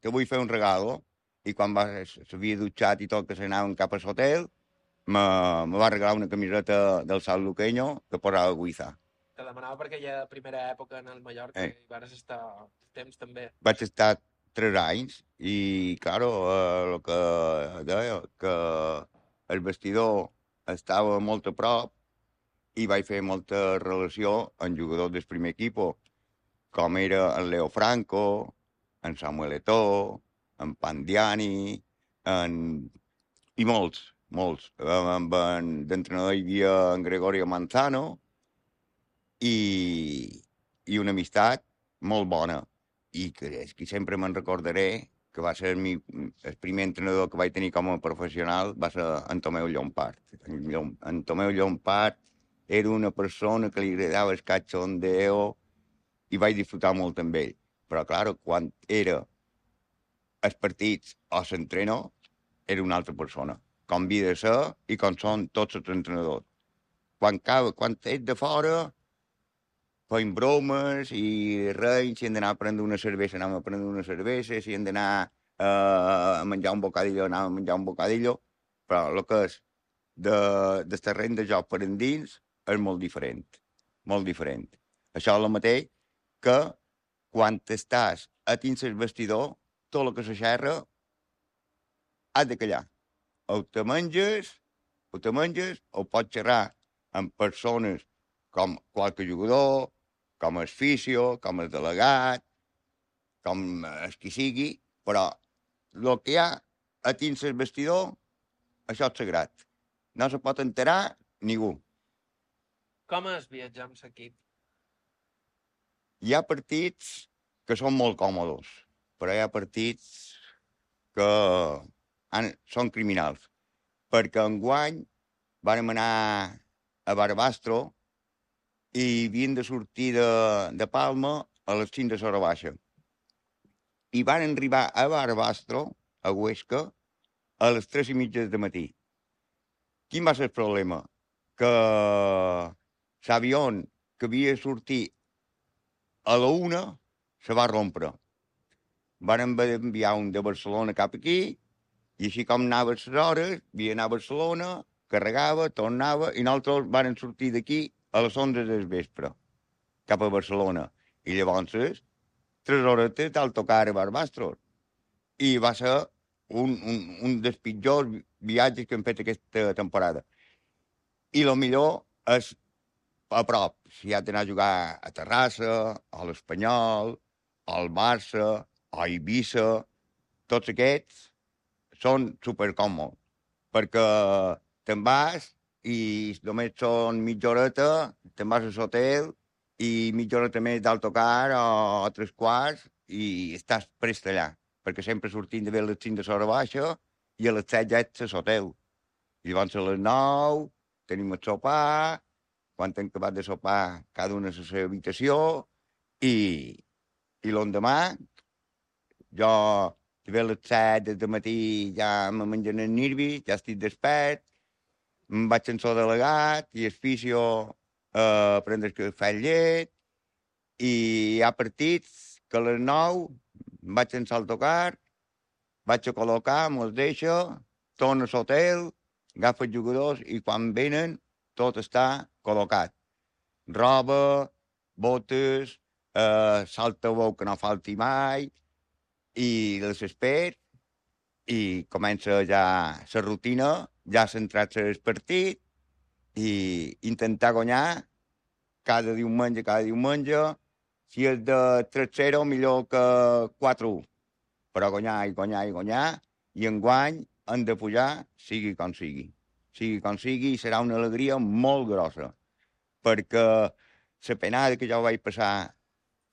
te vull fer un regalo. I quan s'havia dutxat i tot, que s'anaven cap a l'hotel, me va regalar una camiseta del Sal Luqueño que posava Guiza. Te demanava perquè hi ha primera època en el Mallorca i vas estar temps també. Vaig estar 3 anys i, claro, el que deia, que el vestidor estava molt a prop i vaig fer molta relació amb jugadors del primer equip, com era en Leo Franco, en Samuel Eto'o, en Pandiani, i molts. D'entrenador hi havia en Gregorio Manzano i una amistat molt bona. I que sempre me'n recordaré que va ser el primer entrenador que vaig tenir com a professional, va ser en Tomeu Llompart. En Tomeu Llompart era una persona que li agradava el cachondeo i vaig disfrutar molt amb ell. Però, clar, quan era els partits o l'entrenador, era una altra persona. Com havia de ser i com són tots els entrenadors. Quan ets de fora, feim bromes i res, si hem d'anar a prendre una cervesa, anem a prendre una cervesa, si hem d'anar a menjar un bocadillo, anem a menjar un bocadillo, però el que és del terreny de joc per endins és molt diferent, molt diferent. Això és el mateix que quan estàs a dins el vestidor, tot el que se xerra has de callar. O te menges, o pots xerrar amb persones com qualque jugador, com el fisio, com el delegat, com el qui sigui, però el que hi ha a dins el vestidor, això és sagrat. No se pot enterar ningú. Com és viatjar amb l'equip? Hi ha partits que són molt còmodes, però hi ha partits que són criminals. Perquè enguany vàrem anar a Barbastro i havien de sortir de Palma a les 5 de l'hora baixa. I van arribar a Barbastro, a Huesca, a les 3:30 del matí. Quin va ser el problema? Que l'avió que havia de sortir a la 1 se va rompre. Van enviar un de Barcelona cap aquí, i així com anava a les hores, havia d'anar a Barcelona, carregava, tornava, i nosaltres vam sortir d'aquí a les 11 del vespre, cap a Barcelona. I llavors, 3 hores d'autocar a Barbastro. I va ser un dels pitjors viatges que hem fet aquesta temporada. I el millor és a prop. Si has d'anar a jugar a Terrassa, a l'Espanyol, al Barça, a Eivissa, tots aquests són supercòmodes, perquè te'n vas i només són mitja horeta, te'n vas a l'hotel i mitja horeta més d'autocar o 3/4 i estàs prest allà, perquè sempre sortim de les 5 de l'hora baixa i a les 7 ja ets a l'hotel. I llavors a les 9 tenim el sopar, quan hem acabat de sopar cada una a la seva habitació i l'endemà jo a les 7 del matí ja me mengen el nirvi, ja estic despert, em vaig en so delegat i el fisio a prendre el cafè i llet i hi ha partits que a les 9 em vaig en l'autocar, vaig a col·locar, me'ls deixo, torno a l'hotel, agafo els jugadors i quan venen tot està col·locat. Roba, botes, salta-bou que no falti mai, i les espero i comença ja la rutina, ja centrar-se el partit i intentar guanyar cada diumenge, si és de 3-0 millor que 4-1, però guanyar, i enguany hem de pujar sigui com sigui. Sigui com sigui, serà una alegria molt grossa, perquè la penada que jo vaig passar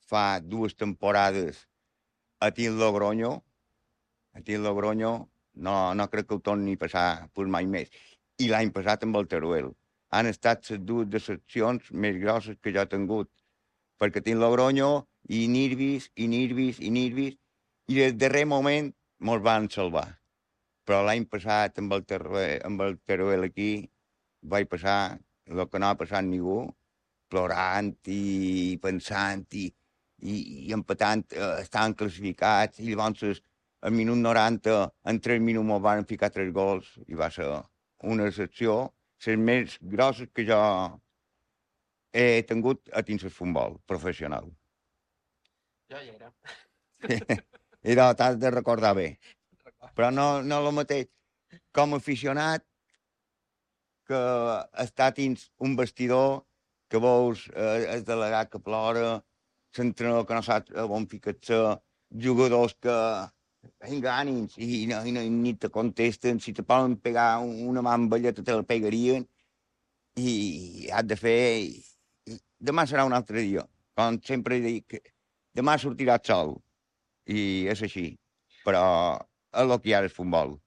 fa 2 temporades a Team Logroño, no crec que ho torni a passar pues, mai més. I l'any passat amb el Teruel. Han estat les 2 decepcions més grosses que jo he tingut, perquè Team Logroño i Nirvis, i el darrer moment mos van salvar. Però l'any passat amb el Teruel aquí vaig passar el que no ha passat ningú, plorant i pensant i empatant, estaven classificats i llavors al minut 90 en 3 minuts me'ls van ficar 3 gols i va ser una decepció, les més grosses que jo he tingut a dins el futbol professional. Jo hi era. I t'has de recordar bé. Però no el mateix com a aficionat que està dins un vestidor que veus el delegat que plora, l'entrenador que no sap on ficar-se, jugadors que vinga ànims i ni te contesten, si te poden pegar una mà amb ella te la pegarien i has de fer... Demà serà un altre dia. Com sempre dic, demà sortirà el sol i és així, però és el que hi ha el futbol.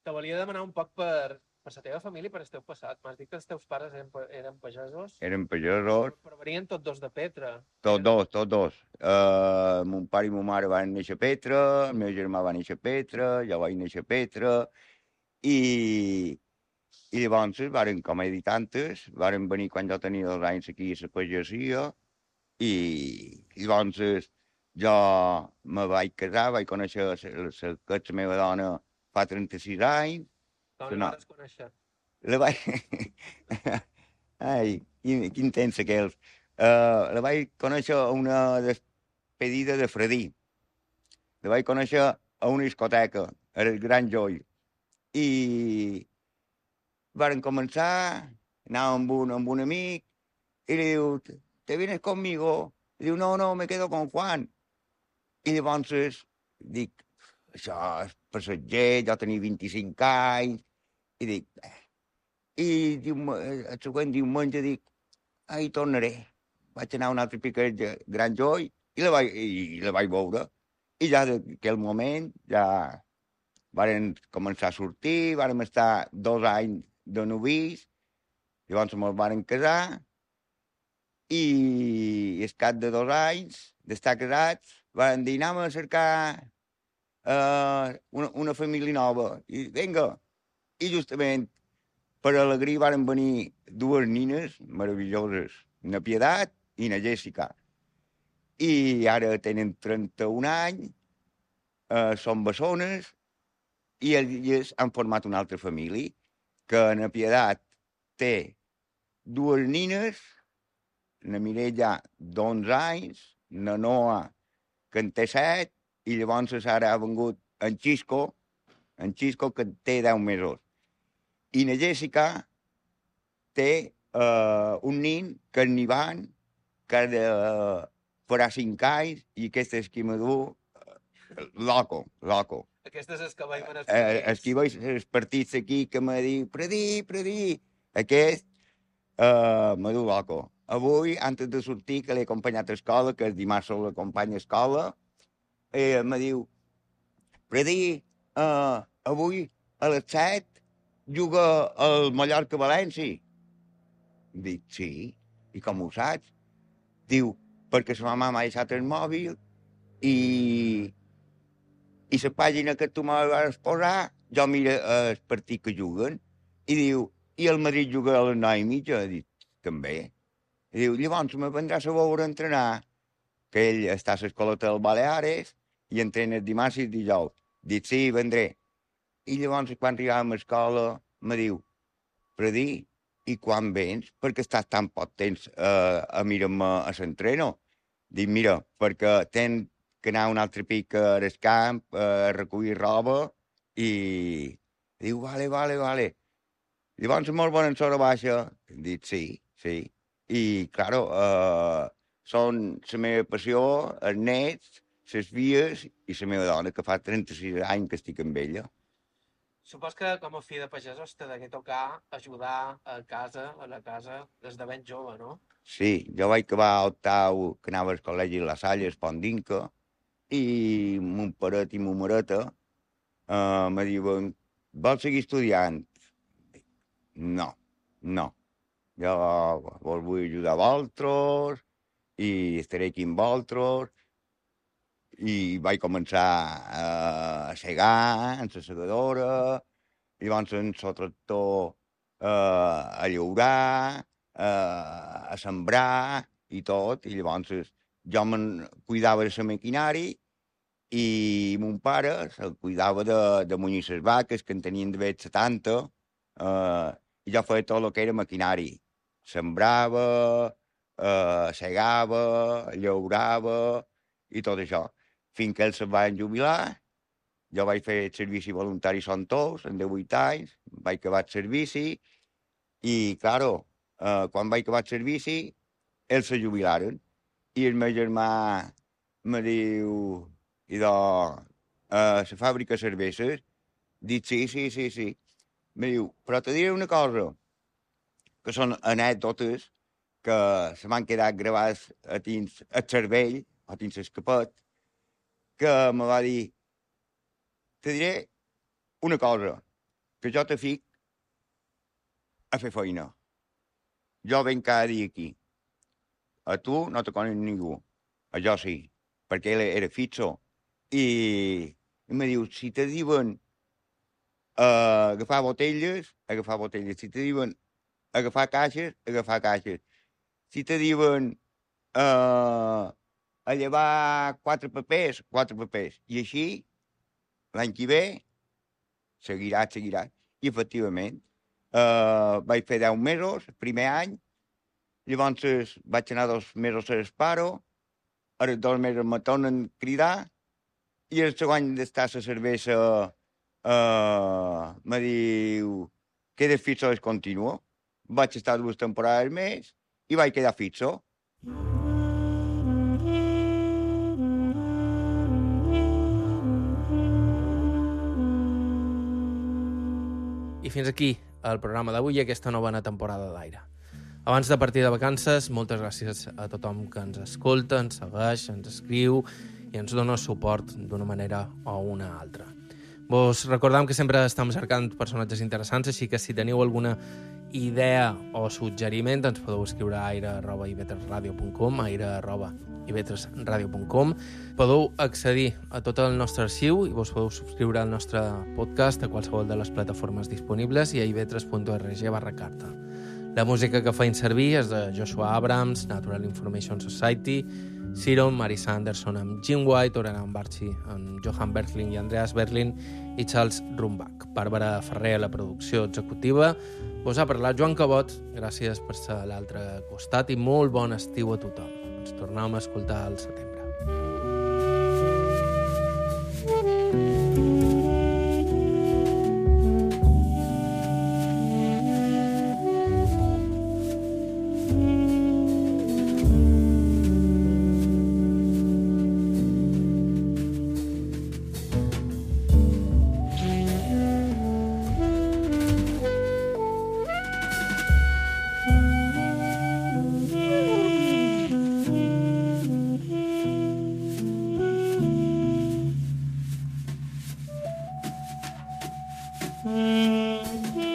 Te volia demanar un poc per la teva família i per el teu passat. M'has dit que els teus pares eren pagesos? Eren pagesos. Però venien tots dos de Petra. Tots dos. Mon pare i ma mare van néixer a Petra, el meu germà va néixer a Petra, jo vaig néixer a Petra, i llavors varen, com he dit antes, varen venir quan jo tenia 2 anys aquí a la pagesia, i llavors jo me vaig casar, vaig conèixer la meva dona fa 36 anys. Com la vas conèixer? La vaig... Ai, quin temps aquells. La vaig conèixer a una despedida de Fredí. La vaig conèixer a una discoteca, el Gran Joy. I varen començar, anàvem amb un amic, i li diu, ¿te vienes conmigo? I diu, no, me quedo con Juan. I llavors dic, això és passatger, jo tenia 25 anys, i dic, el següent diumenge dic, hi tornaré. Vaig anar un altre piquet de Gran Joy i la vaig veure. I ja d'aquell moment ja varen començar a sortir, vàrem estar 2 anys de novis, llavors ens varen casar i al cap de 2 anys d'estar casats varen dir anem a cercar una família nova. I vinga, i justament per alegria varen venir 2 nines meravelloses, na Pietat i na Jessica. I ara tenen 31 anys, són bessones, i elles han format una altra família, que na Pietat té 2 nines, na Mireia d'11 anys, na Noa, que en té 7, i llavors ara ha vengut en Xisco, que té 10 mesos. I na Jessica té un nin, que és Nivan, que farà 5 anys, i aquesta és qui m'adú, loco. Aquesta és el que veiem en els partits. Els que veig els partits aquí, que m'ha dit, Predí, aquest m'adú loco. Avui, antes de sortir, que l'he acompanyat a escola, que el dimarts l'acompanya a escola, me diu, Predí, avui a les 7 juga al Mallorca-València. Dic, sí, i com ho saps? Diu, perquè sa mamà m'ha deixat el mòbil i la pàgina que tu m'has posar, jo miro el partit que juguen, i diu, i el Madrid juga a les 9:30? Dic, també. I diu, llavors me vendràs a veure entrenar, que ell està a l'escoleta del Baleares i entrena el dimarts i el dijous. Dic, sí, vendré. I llavors, quan arribàvem a l'escola, me diu, Predí, i quan vens? Perquè estàs tan poc temps a mirar-me a l'entreno. Dic, mira, perquè tenc que anar un altre pic al camp, a recollir roba, i diu, vale. Llavors molt bona en baixa. Dic, sí. I, claro, són la meva passió, els nets, les vies i la meva dona, que fa 36 anys que estic amb ella. Supos que com a fill de pagesos te degué tocar ajudar a la casa, des de ben jove, no? Sí, jo vaig acabar a octau, que anava al col·legi La Salle, Espondinca, i mon paret i mon mareta me diuen, vols seguir estudiant? No, no. Jo vos vull ajudar a vosaltres i estaré aquí amb vosaltres. I vaig començar a segar en la segadora, llavors en el tractor a llaurar, a sembrar i tot, i llavors jo me'n cuidava de la maquinària i mon pare se'l cuidava de munyir les vaques, que en tenien d'haver 70, i jo feia tot el que era maquinari. Sembrava, segava, llaurava i tot això. Fins que ells se'n van jubilar, jo vaig fer el servici voluntari Son Tous, en 18 anys, vaig acabar el servici, i, claro, quan vaig acabar el servici, ells se jubilaren, i el meu germà me diu, idò, la fàbrica de cerveses? Dic, sí. Me diu, però te diré una cosa, que són anècdotes que se m'han quedat gravades a dins el cervell, a dins l'escapet, que me va dir, te diré una cosa, que jo te fic a fer feina. Jo venc cada dia aquí. A tu no te conec ningú. A jo sí, perquè ell era fixo. I me diu, si te diuen agafar botelles. Si te diuen agafar caixes. Si te diuen a llevar 4 papers. I així, l'any que ve, seguiràs. I, efectivament, vaig fer 10 mesos, el primer any, llavors vaig anar 2 mesos a l'esparo, ara 2 mesos me tornen a cridar, i el segon d'estar a la cervesa me diu que de fixo és continuo. Vaig estar 2 temporades més i vaig quedar fixo. I fins aquí el programa d'avui i aquesta novena temporada d'Aire. Abans de partir de vacances, moltes gràcies a tothom que ens escolta, ens segueix, ens escriu i ens dona suport d'una manera o una altra. Vos recordam que sempre estem cercant personatges interessants, així que si teniu alguna idea o suggeriment ens podeu escriure a aire@ivetresradio.com, aire@ivetresradio.com. Podeu accedir a tot el nostre arxiu i vos podeu subscriure al nostre podcast a qualsevol de les plataformes disponibles i a ivetres.org/carta. La música que feim servir és de Joshua Abrams, Natural Information Society, Siron, Marisa Anderson amb Jim White, Orenan Barchi amb Johan Bertling i Andreas Berlin i Charles Rumbach. Bàrbara Ferrer a la producció executiva. Vos ha parlat Joan Cabot. Gràcies per ser a l'altre costat i molt bon estiu a tothom. Ens tornem a escoltar al setembre. Mm-hmm.